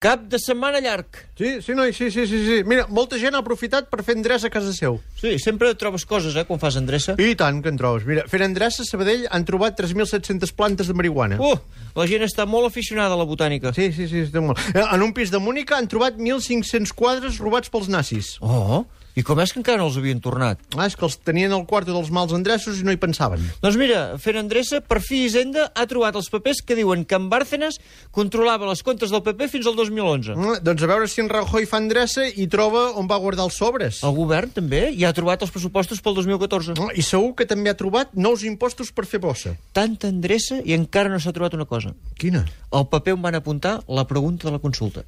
Cap de setmana llarg. Sí, noi, sí. Mira, molta gent ha aprofitat per fer endreça a casa seu. Sí, sempre trobes coses, quan fas endreça. I tant que en trobes. Mira, fent endreça a Sabadell han trobat 3.700 plantes de marihuana. La gent està molt aficionada a la botànica. Sí, està molt. En un pis de Múnica han trobat 1.500 quadres robats pels nazis. I com és que encara no els havien tornat? És que els tenien al quarto dels mals endreços i no hi pensaven. Doncs mira, fent endreça, per fi Hisenda ha trobat els papers que diuen que en Bárcenas controlava les comptes del PP fins al 2011. Doncs a veure si en Rajoy fa endreça i troba on va guardar els sobres. El govern també hi ha trobat els pressupostos pel 2014. I segur que també ha trobat nous impostos per fer bossa. Tanta endreça i encara no s'ha trobat una cosa. Quina? Al paper on van apuntar la pregunta de la consulta.